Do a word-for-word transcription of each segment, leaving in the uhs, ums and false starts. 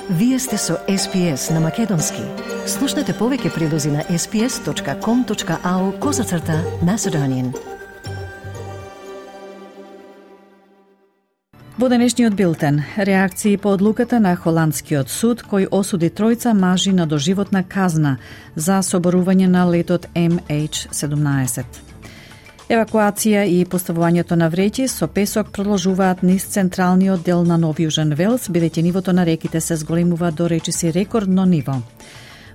Вие сте со Ес Пи Ес на Македонски. Слушнете повеќе прилози на ес пи ес точка ком точка ау козацрта Macedonian. Во денешниот билтен, реакции по одлуката на холандскиот суд кој осуди тројца мажи на доживотна казна за соборување на летот Ем Еич седумнаесет. Евакуација и поставувањето на вреќи со песок продолжуваат низ централниот дел на Нов Јужен Велс, бидејќи нивото на реките се зголемува до речиси рекордно ниво.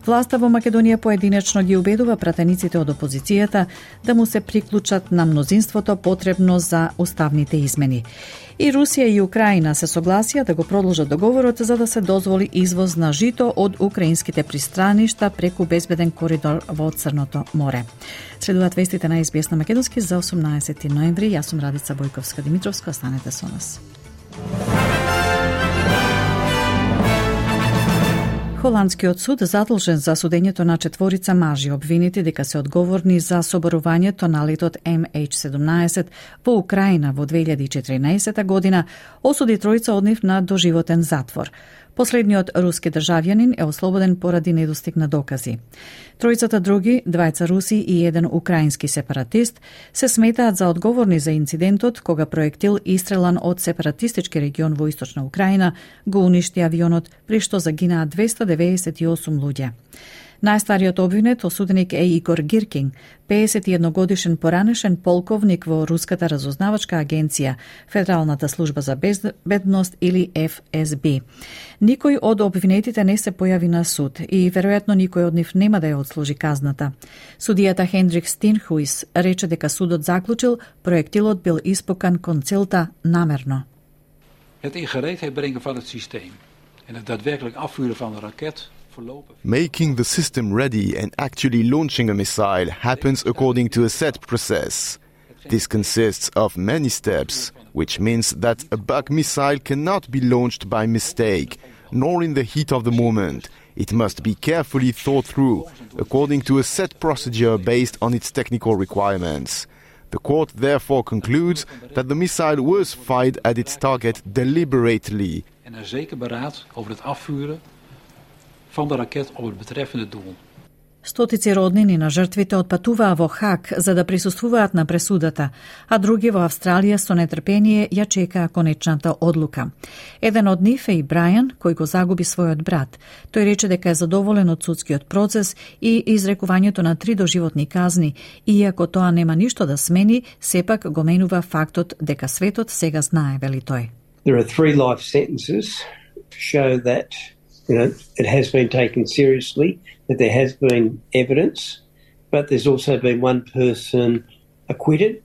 Власта во Македонија поединечно ги убедува пратениците од опозицијата да му се приклучат на мнозинството потребно за уставните измени. И Русија и Украина се согласија да го продолжат договорот за да се дозволи извоз на жито од украинските пристраништа преку безбеден коридор во Црното море. Следуваат вестите на Ес Би Ес на Македонски за осумнаесети ноември. Јас сум Радица Бојковска-Димитровска. Останете со нас. Холандскиот суд задолжен за судењето на четворица мажи обвинети дека се одговорни за соборувањето на летот Ем Еич седумнаесет во Украина во две илјади и четиринаесета година, осуди тројца од нив на доживотен затвор. Последниот руски државјанин е ослободен поради недостиг на докази. Тројцата други, двајца руси и еден украински сепаратист, се сметаат за одговорни за инцидентот кога проектил истрелан од сепаратистички регион во источна Украина го уништи авионот, при што загинаа двеста деведесет и осум луѓе. Најстариот обвинет осуденик е Игор Гиркин, пеесет и едногодишен поранешен полковник во Руската разузнавачка агенција, Федералната служба за безбедност или Еф Ес Би. Никој од обвинетите не се појави на суд и веројатно никој од нив нема да ја отслужи казната. Судијата Хендрик Стинхуис рече дека судот заклучил проектилот бил испукан кон целта намерно. Het in gereedheid brengen van het systeem en het daadwerkelijk afvuren van een raket. Making the system ready and actually launching a missile happens according to a set process. This consists of many steps, which means that a bug missile cannot be launched by mistake, nor in the heat of the moment. It must be carefully thought through, according to a set procedure based on its technical requirements. The court therefore concludes that the missile was fired at its target deliberately. En er zeker beraad over het afvuren van de raket op het betreffende doel. Стотици роднини на жртвите отпатуваа во Хаг за да присуствуваат на пресудата, а други во Австралија со нетрпение ја чекаа конечната одлука. Еден од нив е и Брајан, кој го загуби својот брат. Тој рече дека е задоволен од судскиот процес и изрекувањето на три доживотни казни, иако тоа нема ништо да смени, сепак го менува фактот дека светот сега знае, вели тој. There are three life sentences to show that You know, it has been taken seriously, that there has been evidence, but there's also been one person acquitted.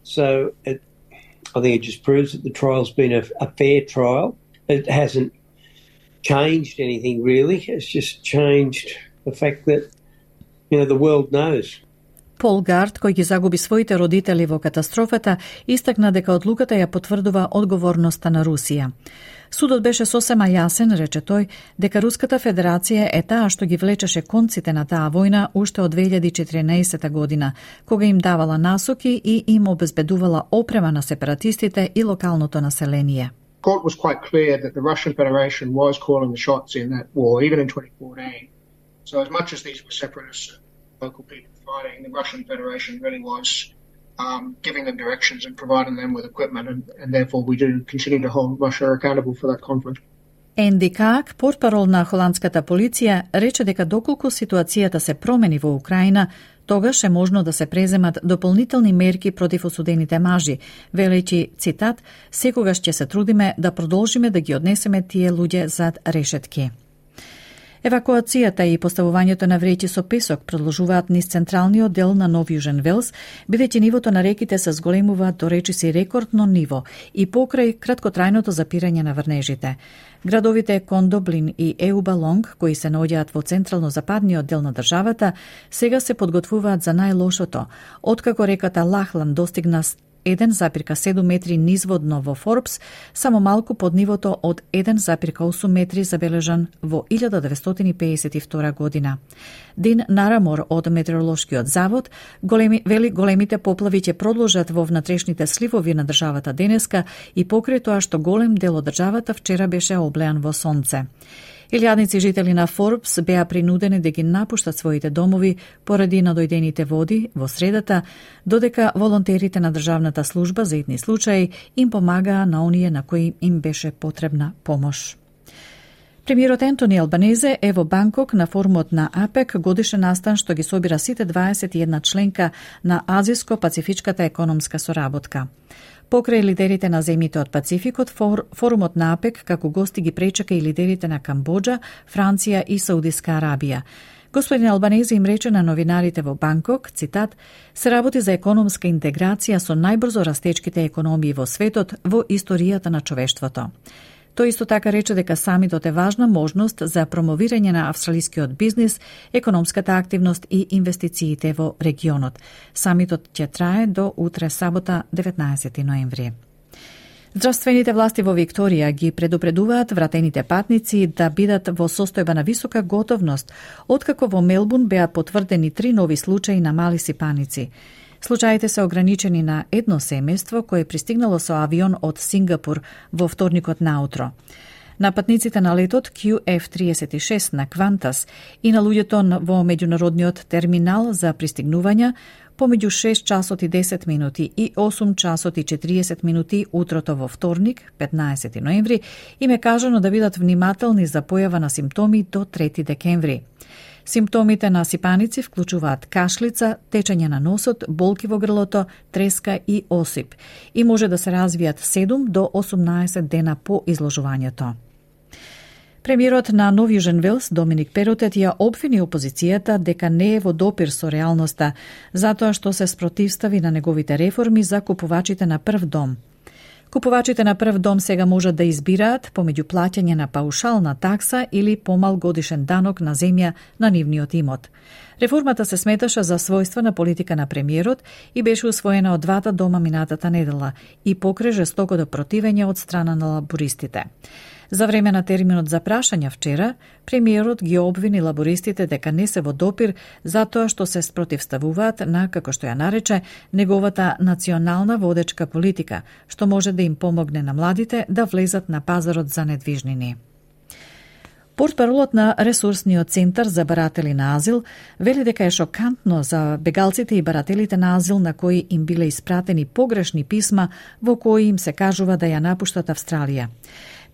So it, I think it just proves that the trial's been a, a fair trial. It hasn't changed anything really. It's just changed the fact that, you know, the world knows. Пол Гард, кој ги загуби своите родители во катастрофата, истакна дека одлуката ја потврдува одговорноста на Русија. Судот беше сосема јасен, рече тој, дека Руската Федерација е таа што ги влечеше конците на таа војна уште од две илјади и четиринаесета година, кога им давала насоки и им обезбедувала опрема на сепаратистите и локалното население. The court was quite clear that the Russian Federation was calling the shots in that war, even in twenty fourteen. So as much as these were separatists, local people fighting, the Russian Federation really was um, giving them directions and providing them with equipment, and, and therefore we do continue to hold Russia accountable for that conflict. Енди Каак, портпарол на холандската полиција, рече дека доколку ситуацијата се промени во Украина, тогаш е можно да се преземат дополнителни мерки против осудените мажи, велејќи, цитат, секогаш ќе се трудиме да продолжиме да ги однесеме тие луѓе зад решетки. Евакуацијата и поставувањето на вреќи со песок продолжуваат низ централниот дел на Нов Јужен Велс, бидејќи нивото на реките се зголемува до речиси рекордно ниво и покрај краткотрајното запирање на врнежите. Градовите Кондоблин и Еубалонг, кои се наоѓаат во централно-западниот дел на државата, сега се подготвуваат за најлошото, откако реката Лахлан достигна еден запирка седум метри низводно во Форбс, само малку под нивото од еден запирка осум метри забележан во илјада деветстотини пеесет и втора година. Дин Нарамор од Метеоролошкиот завод големи, вели големите поплави ќе продолжат во внатрешните сливови на државата денеска и покрај тоа што голем дел од државата вчера беше облеан во сонце. Илјадници жители на Форбс беа принудени да ги напуштат своите домови поради надојдените води во средата, додека волонтерите на Државната служба за итни случаи им помагаа на оние на кои им беше потребна помош. Премиерот Ентони Албанезе е во Банкок на форумот на АПЕК, годишен настан што ги собира сите дваесет и една членка на Азиско-Пацифичката економска соработка. Покрај лидерите на земјите од Пацификот, форумот на АПЕК како гости ги пречека и лидерите на Камбоџа, Франција и Саудиска Арабија. Господин Албанезе им рече на новинарите во Банкок, цитат, се работи за економска интеграција со најбрзо растечките економии во светот во историјата на човештвото. Тој исто така рече дека самитот е важна можност за промовирање на австралискиот бизнис, економската активност и инвестициите во регионот. Самитот ќе трае до утре сабота, деветнаесети ноември. Здравствените власти во Викторија ги предупредуваат вратените патници да бидат во состојба на висока готовност, откако во Мелбурн беа потврдени три нови случаи на мали сипаници. Случаите се ограничени на едно семејство кое пристигнало со авион од Сингапур во вторникот наутро. На патниците на летот Q F триесет и шест на Квантас и на луѓето во меѓународниот терминал за пристигнувања помеѓу шест часот и десет минути и осум часот и четириесет минути утрото во вторник, петнаесети ноември, им е кажано да бидат внимателни за појава на симптоми до трети декември. Симптомите на сипаници вклучуваат кашлица, течење на носот, болки во грлото, треска и осип и може да се развијат седум до осумнаесет дена по изложувањето. Премиерот на Нов Јужен Велс, Доминик Перотет, ја обвини опозицијата дека не е во допир со реалноста, затоа што се спротивстави на неговите реформи за купувачите на прв дом. Купувачите на прв дом сега можат да избираат помеѓу плаќање на паушална такса или помал годишен данок на земја на нивниот имот. Реформата се сметаше за својствена политика на премиерот и беше усвоена од двата дома минатата недела и покрај жестокото противење од страна на лабористите. За време на терминот за прашања вчера, премиерот ги обвини лабористите дека не се во допир затоа што се спротивставуваат на, како што ја нарече, неговата национална водечка политика, што може да им помогне на младите да влезат на пазарот за недвижнини. Портпаролот на Ресурсниот центар за баратели на азил вели дека е шокантно за бегалците и барателите на азил на кои им биле испратени погрешни писма во кои им се кажува да ја напуштат Австралија.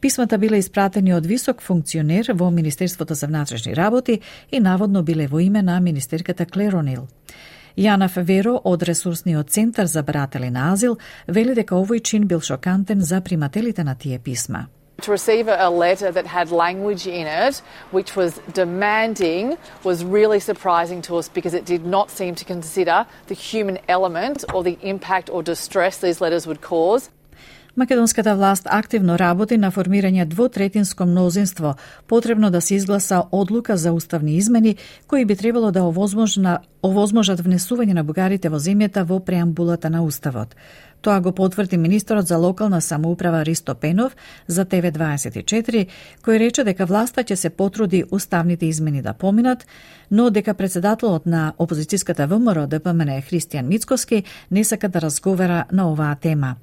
Писмата биле испратени од висок функционер во Министерството за внатрешни работи и наводно биле во име на министерката Клер О'Нил. Јана Феверо од Ресурсниот центар за баратели на азил вели дека овој чин бил шокантен за примателите на тие писма. To receive a letter that had language in it which was demanding was really surprising to us because it did not seem to consider the human element or the impact or distress these letters would cause. Македонската власт активно работи на формирање двотретинско мнозинство, потребно да се изгласа одлука за уставни измени кои би требало да овозможат внесување на бугарите во земјата во преамбулата на Уставот. Тоа го потврди министерот за локална самоуправа Ристо Пенов за Т В дваесет и четири, кој рече дека власта ќе се потруди уставните измени да поминат, но дека председателот на опозицијската В М Р Д П М Н Христијан Мицкоски не сака да разговара на оваа тема.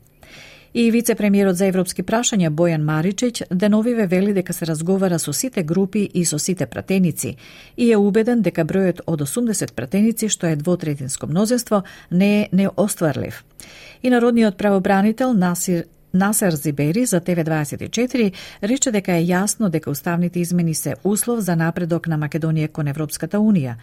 И вице-премиерот за европски прашања Бојан Маричич деновиве вели дека се разговара со сите групи и со сите пратеници и е убеден дека бројот од осумдесет пратеници, што е двотретинско мнозинство, не е неостварлив. И народниот правобранител Насир Насер Зибери за Т В дваесет и четири рече дека е јасно дека уставните измени се услов за напредок на Македонија кон Европската Унија,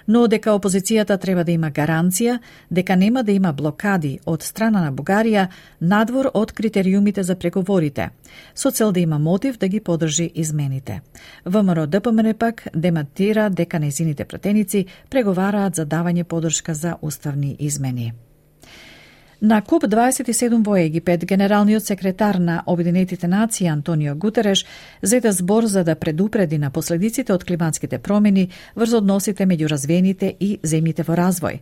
но дека опозицијата треба да има гаранција дека нема да има блокади од страна на Бугарија надвор од критериумите за преговорите, со цел да има мотив да ги подржи измените. В М Р Д П М Н пак демантира дека нејзините пратеници преговараат за давање подршка за уставни измени. На КОП дваесет и седум во Египет, генералниот секретар на Обединетите нации Антонио Гутереш зеде збор за да предупреди на последиците од климатските промени врз односите меѓу развиените и земјите во развој.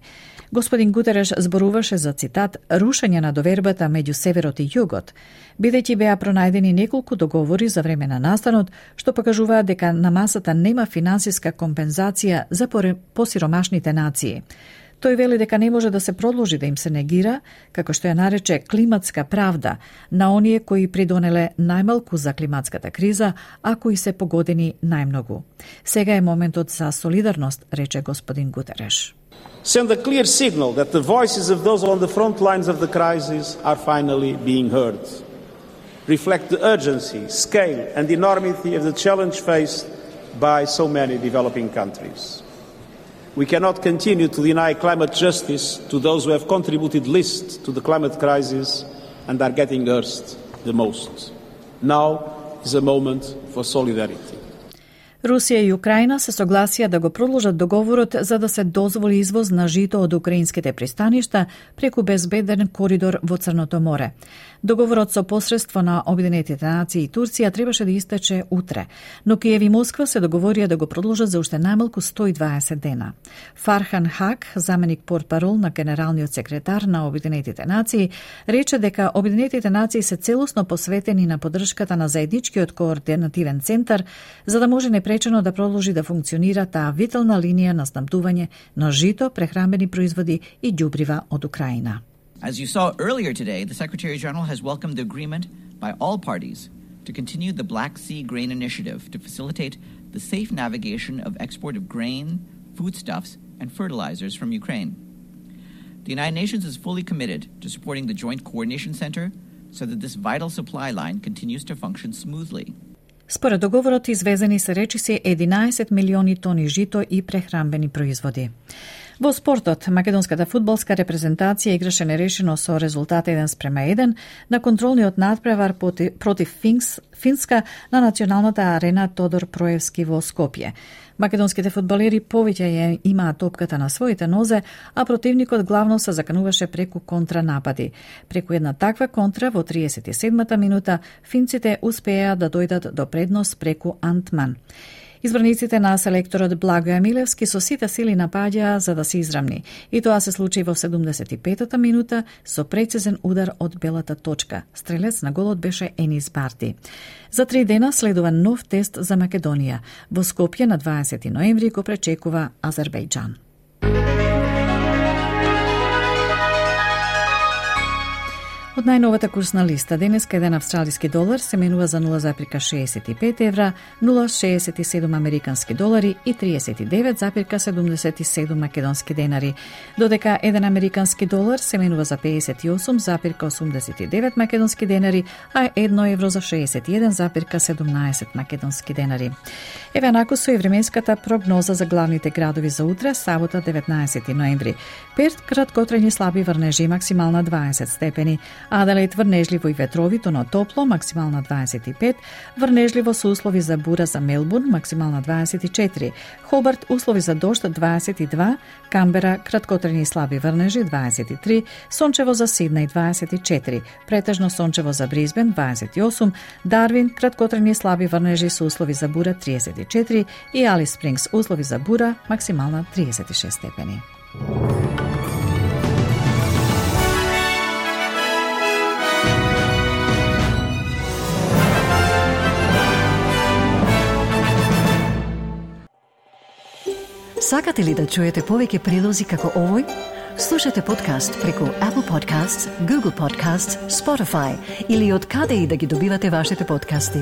Господин Гутереш зборуваше за, цитат, рушење на довербата меѓу северот и југот, бидејќи беа пронајдени неколку договори за време на настанот, што покажуваат дека на масата нема финансиска компензација за посиромашните нации. Тој вели дека не може да се продолжи да им се негира, како што ја нарече климатска правда, на оние кои придонеле најмалку за климатската криза, а кои се погодени најмногу. Сега е моментот за солидарност, рече господин Гутереш. Send a clear signal that the voices of those on the front lines of the crisis are finally being heard. Reflect the urgency, scale and enormity of the challenge faced by so many developing countries. We cannot continue to deny climate justice to those who have contributed least to the climate crisis and are getting hurt the most. Now is a moment for solidarity. Русија и Украина се согласија да го продолжат договорот за да се дозволи извоз на жито од украинските пристаништа преку безбеден коридор во Црното море. Договорот со посредство на Обединетите нации и Турција требаше да истече утре, но Киев и Москва се договорија да го продолжат за уште најмалку сто и дваесет дена. Фархан Хак, заменик портпарол на генералниот секретар на Обединетите нации, рече дека Обединетите нации се целосно посветени на поддршката на заедничкиот координативен центар за да може непречено да продолжи да функционира таа витална линија на снабдување на жито, прехранбени производи и ѓубрива од Украина. As you saw earlier today, the Secretary-General has welcomed the agreement by all parties to continue the Black Sea Grain Initiative to facilitate the safe navigation of export of grain, foodstuffs, and fertilizers from Ukraine. The United Nations is fully committed to supporting the Joint Coordination Center so that this vital supply line continues to function smoothly. Според договорот извезени се речиси единаесет милиони тони жито и прехранбени производи. Во спортот, македонската фудбалска репрезентација играше нерешено со резултат еден спрема еден на контролниот надпревар против Финкс, Финска на националната арена Тодор Проевски во Скопје. Македонските фудбалери повеќе ја имаат топката на своите нозе, а противникот главно се закануваше преку контранапади. Преку една таква контра во триесет и седмата минута финците успеа да дојдат до предност преку Антман. Избраниците на селекторот Благоја Милевски со сите сили напаѓаа за да се израмни. И тоа се случи во седумдесет и петата минута со прецизен удар од белата точка. Стрелец на голот беше Енис Барти. За три дена следува нов тест за Македонија. Во Скопје на дваесети ноември го пречекува Азербејџан. Од најновата курсна листа, денеска еден австралиски долар се менува за нула запирка шеесет и пет евра, нула запирка шеесет и седум американски долари и триесет и девет запирка седумдесет и седум македонски денари, додека еден американски долар се менува за пеесет и осум запирка осумдесет и девет македонски денари, а едно евро за шеесет и еден запирка седумнаесет македонски денари. Еве накусо и временската прогноза за главните градови за утре, сабота деветнаесети ноември. Перт краткотрајни слаби врнежи, максимална дваесет степени. Аделаид врнежливо и ветровито, но топло, максимална дваесет и пет, врнежливо со услови за бура за Мелбурн, максимална дваесет и четири, Хобарт услови за дожд дваесет и два, Камбера краткотрајни слаби врнежи дваесет и три, сончево за Сиднеј дваесет и четири, претежно сончево за Бризбен дваесет и осум, Дарвин краткотрајни слаби врнежи со услови за бура триесет и четири и Алис Спрингс услови за бура, максимална триесет и шест степени. Сакате ли да чуете повеќе прилози како овој? Слушате подкаст преку Apple Podcasts, Google Podcasts, Spotify или од каде и да ги добивате вашите подкасти.